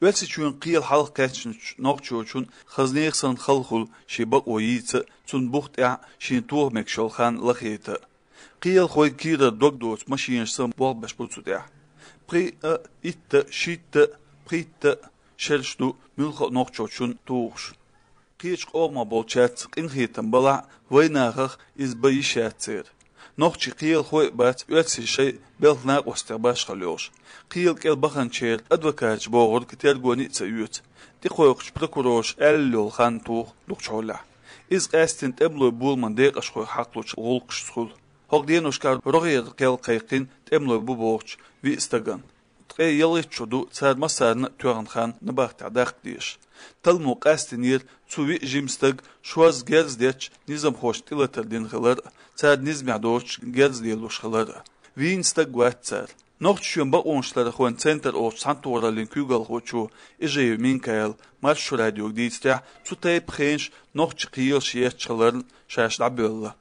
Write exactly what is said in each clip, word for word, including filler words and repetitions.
Оьрсийчоьнан кхел хьалха кхаьчначу нохчочун хазанех санна хала хуьлу шен бакъо йийца а, цунна бух тӀехь шена тоха мегаш йолу хан лахийта а. Кхелахой кийрара дог доцу машинаш санна болх беш бу цу тӀехь. Пхиъ а, итт а, шийтта а, пхийтта а шераш ду муьлхха а нохчочун тухуш. Кхечу къомах болчаьрца къинхетам балахь а, вайнахах иза бан йиш яц церан. Нохчийн кхелахой а бац оьрсийн шайн белхан накъостех башхалла йолуш. Кхел кӀел баханчеран адвокаташа бохург тергоне а ца оьцу. ТӀекхойкхучу прокурорша аьлла йолу хан туху дукхачу хьолехь. Иза къаьсттина тӀемалойн боламан декъашхойх хьакхалучу гӀуллакхашца хуьлу. ХӀокху деношкахь рогӀера кхел кхайкхина тӀемалой бу бохучу виъ стагана. Ткъе ялхитта шо ду цара массарна а тоьхна хан набахтехь даккха дезаш. Талламо къастийнера цу виъ жима стага шозза герз детташ низамхошна тӀелатар дина хилар а, цара низамехь доцуш герз лелош хилар а. Вийна стаг вац цара. Нохчийчоьнан бакъонашларъярхойн центр олучу цхьаьнатохараллин куьйгалхочо Ижиев Минкаила Маршо радиога дийцарехь, цу тайпа хенаш нохчийн кхелаша етташ хиларна ша дӀабоьлла.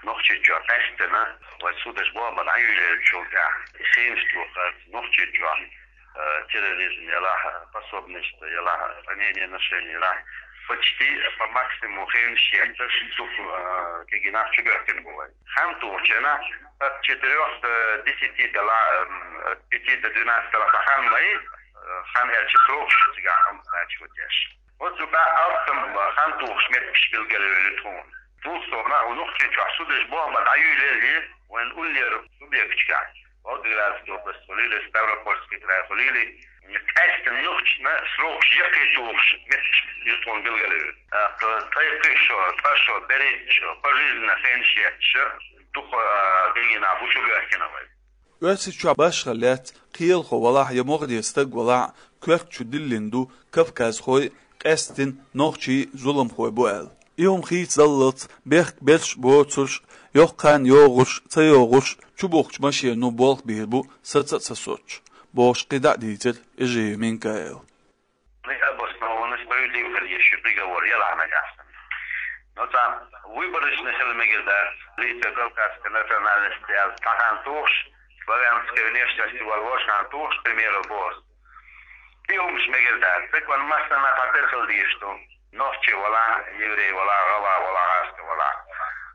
Нохчийчохь къаьсттина вайн судаш бохург дӀаюьйлаеллачул тӀаьхьа, и хенаш тохар Нохчийчохь, э, терроризм ялахь, пособничество ялахь, ранение, ношение ялахь, почти по максимуму хенаш етташ, дукха, э, кегий нах чубоьхкина бу вай. Хан тухучу хенахь от четырёх до десяти делах, э, от пяти до двенадцати делах хан ма ю, э, хан аьлча срокаш цигахь обозначивать еш. Оцу юкъахь алсам хан тухуш меттигаш билгалвелла тхуна. Дукха сов нах ву Нохчийчохь судаш бохург дӀаюьйлаелла, вайн уллера субъекташкахь, Волгоградская область хуьлийла, Ставропольский край хуьлийла, къаьсттина нохчашна срокаш яккхий тухуш меттигаш ю тхуна билгалвелла. ТӀаккха ткъе кхоъ шо, ткъа шо, берхӀитта шо, пожизненно хенаш етташ, дукха, а, кегий нах бу чубоьхкина вай. Оьрсийчохь башхалла яц, кхелахо валахь я могӀаре стаг валахь, коьрта чу диллина ду кавказхой а, къаьсттина нохчий а зуламхой бу аьлла. И хӀума хийцадаллалц бехк берш а боцурш а, йоккха хан йогӀурш а, ца йогӀурш а, чубухкучу машено болх бийр бу саца а ца соцуш, бохуш кхидӀа а дийцира Ижиев Минкаила. Обоснованно справедливо хила еза шен приговор, ялахь нагахь санна. Но цхьа выборочно хила мегар дац, лицо кавказской национальности аьлла, цхьа хан тухуш, славянской внешности волу вовшахтоьхна тухуш, к примеру, боху. И хӀумаш мегар дац. Цига вайн массанна а тӀера хила дезаш ду. Нохчи валахь, еврей валахь, гӀалгӀа валахь, гӀазкхи валахь.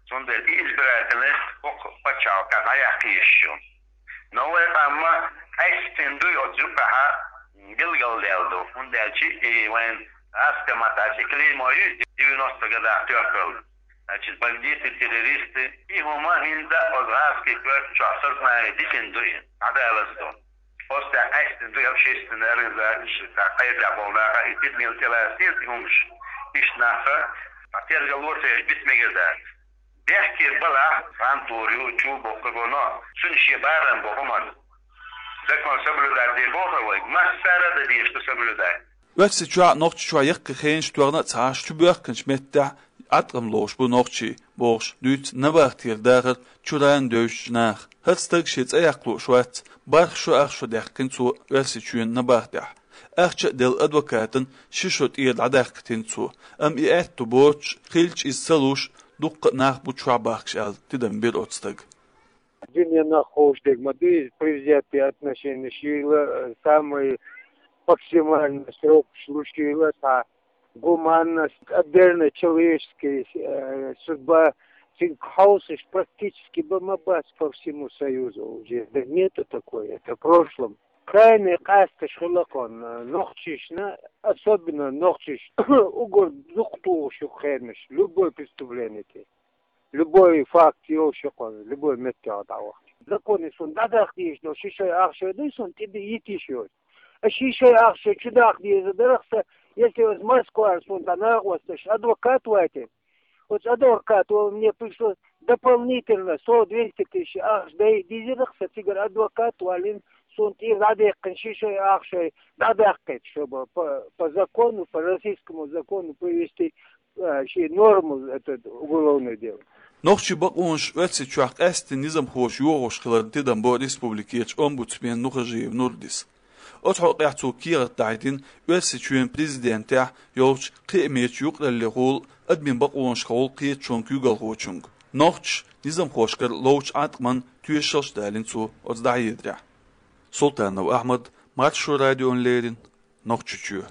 Цундела и избирательность хӀокху пачхьалкхехь дӀаяккха езаш ю. Но вай къам къаьсттина дуй оцу юкъахь билгалдаьлла ду, хӀунда аьлча и вайн гӀазкхийн маттахь аьлча клеймо ю девяностых годах тоьхна. Значит, бандиты, террористы, и хӀума хӀинца оцу гӀазкхийн коьрта чохь сознание дисина ду и, дӀадалаза ду. Оцу тӀехь къаьсттина дуй общественные организацияш, цхьа кхайрдехь болу нах а, и тидамел тӀелаьцна и хӀумаш, иштта нах а, цхьа тергало ца еш биц мегар дац. Бехке балахь, хан тухур ю, чу боккхур бу, но цуьнан шен барам бу хӀуманна. Закон соблюдать де боху вай, массара а дан дезаш ду соблюдать. Оьрсийчохь а, Нохчийчохь а яккхий хенаш тоьхна а ца Ӏаш, чубоьхкинчу меттехь Ӏаткъам ловш бу нохчий, бохуш дуьйцу набахтера дахар чуьра а девзачу наха. ХӀара стаг шен цӀе яккха лууш вац, бархӀ шо ах шо даьккхина цо Оьрсийчоьнан набахтехь. Ахча а делла адвокатана ши шо тӀера дӀадаккхийтина цо, амма и аьтто боцуш, хилча иза ца луш, дуккха а нах бу чохь бахкаш аьлла, тидам бира оцу стага. Дуьненахь ховш дерг ма ду иза, предвзятые отношенияш йийла, самый максимальный срокаш луш йийла, цхьа гуманность, отдельно человеческая, э, судьба, цуьнга хьовсуш практически ба-, ма бац по всему Союзу уже. Да нету такой, это в прошлом. Крайне къаьсташ хуьлу кхунна, нохчашна, особенно нохчаш, угар дукха тухуш ю хенаш, любой преступление тӀе. Любой факт йолуш ю кхунна, любой меттехь дӀавахча. Законе суна дӀадаккха дезаш долу ши шой ах шой дуй, суна тӀе йита йиш йоцу. А ши шой ах шой чу даккха деза дарах сан, если оцу Москвара суна тӀе накъосташ адвокат вайтина, оцу адвокат вала мне пришлось дополнительно сто двести тысяч ахча дай дезарах сан, цигара адвокат валлина, суна тӀера дӀадаьккхина ши шой ах шой дӀадаккхийта, чтобы по, по закону, по российскому закону привести, а, ши норму, этот, уголовное дело. Нохчийн бакъонаш Оьрсийчохь къаьсттина низамхоша йохош хиларна тидам бо республикерчу омбудсмена Нухажиев Нурдис. Оцу хьокъехь цо кехат дахьийтина Оьрсийчоьнан президентехь йолчу кхиамечу юкъараллехула адамийн бакъонашкахула кхеташонан куьйгалхочуьнга. Нохчаша низамхошкара ловчу Ӏаткъаман тоьшаллаш а далийна цо оцу дӀахьедарехь. Султанов Ахьмад, Маршо радиона леррина, Нохчочуо.